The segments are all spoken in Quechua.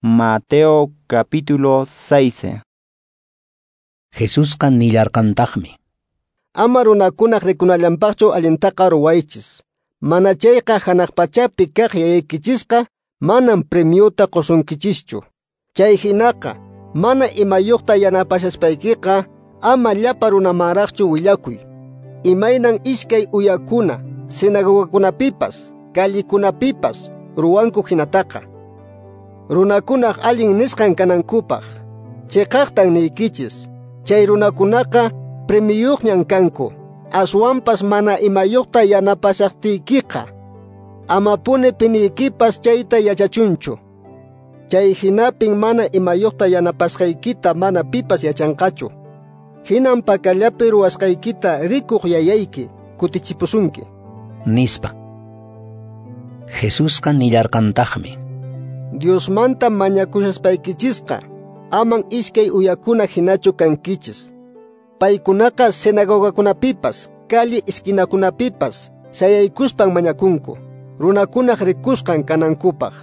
Mateo capítulo 6. Jesusqa nillarqantaqmi. Ama runakunaq rikunallanpaqchu allintaqa ruwaychis. Mana chayqa hanaq pachapi kaq yayaykichisqa manam premiuta qusunkichischu. Chay hinaqa mana imayuqta yanapashaspaykiqa ama llapa runamanraqchu willakuy. Imaynan iskay uyakuna sinagogakunapipas, callikunapipas ruwanku hinataqa. Runakunaq allin nisqan kanankupaq. Chiqaqtan niykichis, chay runakunaqa premiyuqñan kanku. Aswanpas mana imayuqta yanapashaqtiykiqa amapuni piniykipas chayta yachachunchu. Chay hinapin mana imayuqta yanapasqaykita mana pipas yachanqachu. Hinan pakallapi ruwasqaykita rikuq yayayki kutichipusunki. Nispa. Jesusqa nillarqantaqmi. Diosmanta mañakushaspaykichishqa aman iskay uyakuna hinachu kankichis. Paykunaqa sinagogakunapipas, calle esquinakunapipas sayaykuspan mañakunku, runakunaq rikusqan kanankupaq.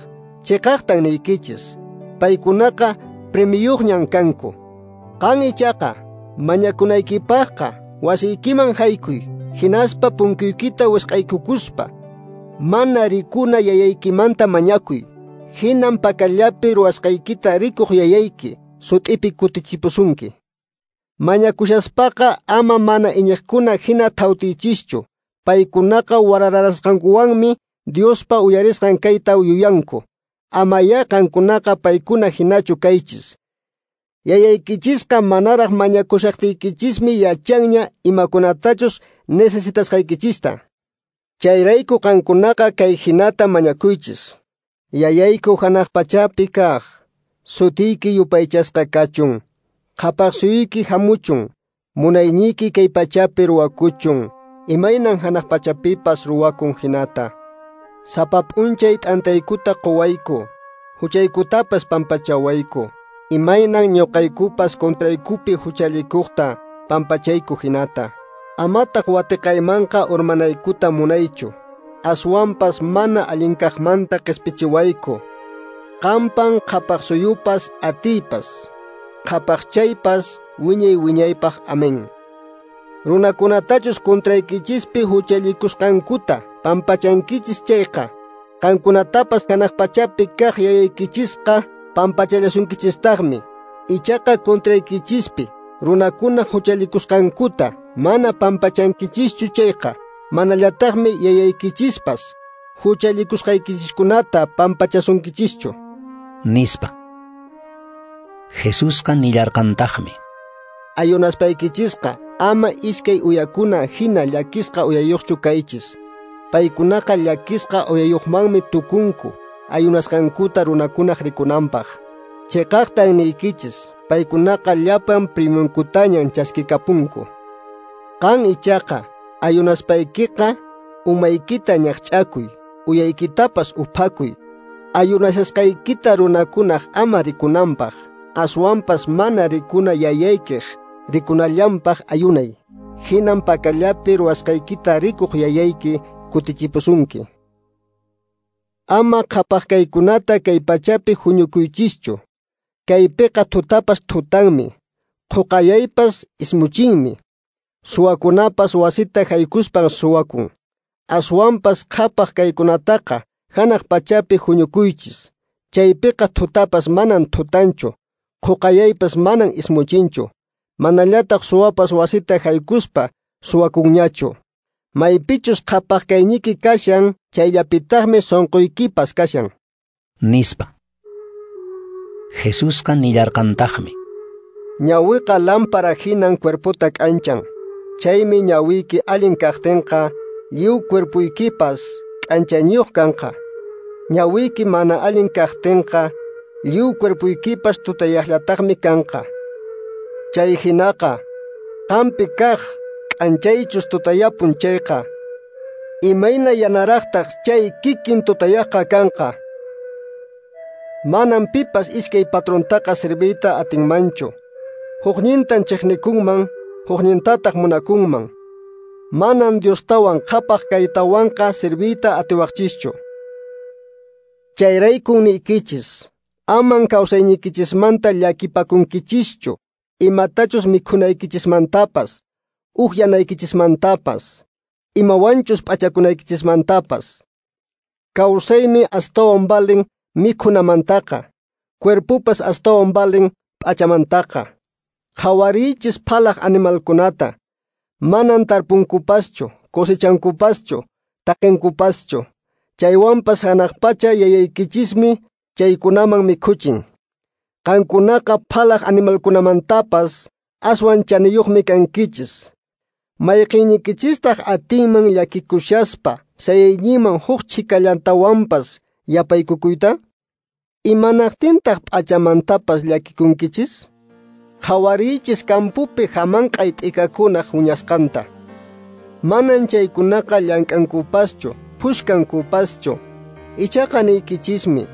Chiqaqtan niykichis, paykunaqa premiyuqñan kanku. Qan ichaqa mañakunaykipaqqa wasiykiman haykuy, hinaspa punkuykita wisq'aykukuspa mana rikuna yayaykimanta mañakuy. Hinan pakallapi ruwasqaykita rikuq yayayki sut'ipi kutichipusunki. Mañakushaspaqa ama mana iñiqkuna hina thawtichischu. Paykunaqa warararasqankuwanmi Diospa uyarisqan kayta yuyanku. Amayá qankunaqa paykuna hinachu kaychis. Yayaykichisqa manaraq mañakushaqtiykichismi yachanña imakunatachus necesitasqaykichista. Chayrayku qankunaqa kay hinata mañakuychis. Yayayku hanaq pachapi kaq, sutiyki yupaychasqa kachun, qhapaq suyuyki hamuchun, munayniyki kay pachapi ruwakuchun, imaynan hanaq pachapipas ruwakun hinata. Sapa p'unchay t'antaykuta quwayku, huchaykutapas pampachawayku, imaynan ñuqaykupas contraykupi huchallikuqta pampachayku hinata. Amataq watiqaymanqa urmanaykuta munaychu. Aswanpas mana allinkaqmanta qispichiwayku. Qampan qhapaq suyupas atiypas, qhapaqchaypas wiñay wiñaypaq. Amén. Runakunatachus contraykichispi huchallikusqankuta pampachankichis chayqa, qankunatapas hanaq pachapi kaq yayaykichisqa pampachallasunkichistaqmi. Ichaqa contraykichispi runakuna huchallikusqankuta mana pampachankichischu chayqa, manallataqmi yayaykichispas huchallikusqaykichiskunata pampachasunkichischu. Nispa. Jesusqa nillarqantaqmi. Ayunaspaykichisqa ama iskay uyakuna hina llakisqa uyayuqchu kaychis. Paykunaqa llakisqa uyayuqmanmi tukunku ayunasqankuta runakunaq rikunanpaq. Chiqaqtan niykichis, paykunaqa llapan premiunkutañan chaskikapunku. Qan ichaqa ayunaspaykiqa umaykita ñaqch'akuy, uyaykitapas uphakuy. Ayunashasqaykita runakunaq ama rikunanpaq, aswanpas mana rikuna yayaykiq rikunallanpaq ayunay. Hinan pakallapi ruwasqaykita rikuq yayayki kutichipusunki. Ama qhapaq kaykunata kay pachapi huñukuychischu. Kaypiqa thutapas thutanmi, qhuqayaypas ismuchinmi. Suwakunapas wasita haykuspan suwakun. Aswanpas qhapaq kaykunataqa hanaq pachapi huñukuychis. Chaypiqa thutapas manan thutanchu, qhuqayaypas manan ismuchinchu. Manallataq suwapas wasita haykuspa suwakunñachu. Maypichus qhapaq kayniyki kashan, chayllapitaqmi sunquykipas kashan. Nispa. Jesusqa nillarqantaqmi. Ñawiqa lámpara hinan cuerpota k'anchan. Chaymi ñawiyki allin kaqtinqa, lliw cuerpuykipas k'anchayniyuq kanqa. Ñawiyki mana allin kaqtinqa, lliw cuerpuykipas tutayaqllataqmi kanqa. Chay hinaqa, qampi kaq k'anchaychus tutayapun chayqa, imayna yanaraqtaq chay kikin tutayaqqa kanqa. Manam pipas iskay patrontaqa serviyta atinmanchu. Huknintan chiqnikunman, huknintataq munakunman. Manan Diostawan qhapaq kaytawanqa serviyta atiwaqchischu. Chayraykun niykichis, Aman kawsayniykichismanta llakipakunkichischu, imatachus mikhunaykichismantapas, uhyanaykichismantapas, imawanchus p'achakunaykichismantapas. Kawsaymi astawan valen mikhunamantaqa, cuerpopas astawan valen p'achamantaqa. Qhawariychis phalaq animalkunata, manan tarpunkupaschu, cosechankupaschu, taqenkupaschu. Chaywanpas hanaq pacha yayaykichismi chaykunaman mikhuchin. Qankunaqa phalaq animalkunamantapas aswan chaniyuqmi kankichis. Mayqinnikichistaq atinman llakikushaspa sayayninman huk chhikallantawanpas yapaykukuyta? Imanaqtintaq p'achamantapas llakikunkichis? Qhawariychis kampupi hamanq'ay t'ikakunaq huñasqanta. Manan chaykunaqa llank'ankupaschu, phushkankupaschu. Ichaqa niykichismi,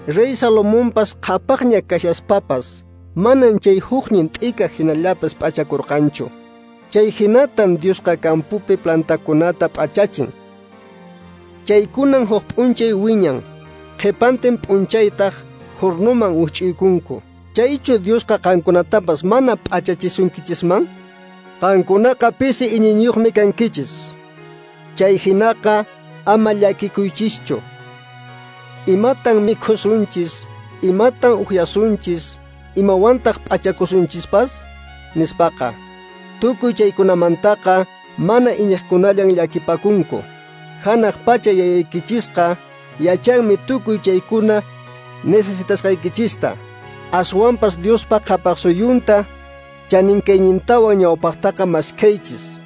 Rey Salomonpas qhapaqña kashaspapas, manan chay huknin t'ika hinallapas p'achakurqanchu. Chay hinatan Diosqa kampupi plantakunata p'achachin. Chaykunan huk p'unchay wiñan, qhipantin p'unchaytaq hurnuman wikch'uykunku. Chaychu Diosqa qankunatapas mana p'achachisunkichisman? Qankunaqa pisi iñiyniyuqmi kankichis. Chay hinaqa ama llakikuychischu. Imatan mikhusunchis, imatan uhyasunchis, imawantaq p'achakusunchispas? Nispaqa. Tukuy chaykunamantaqa mana iñiqkunallan llakipakunku. Hanaq pacha yayaykichisqa yachanmi tukuy chaykuna necesitasqaykichista. Aswanpas Diospa qhapaqsuyunta chaninkaynintawan ñawpaqtaqa maskhaychis.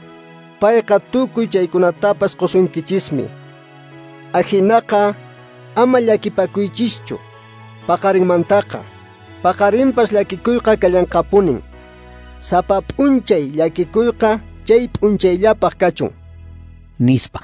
Payqa tukuy chaykunatapas qusunkichismi. Ajinaqa ama llakipakuychischu paqarinmantaqa. Paqarinpas llakikuyqa kallanqapunin. Sapa p'unchay llakikuyqa chay p'unchayllapaq kachun. Nispa.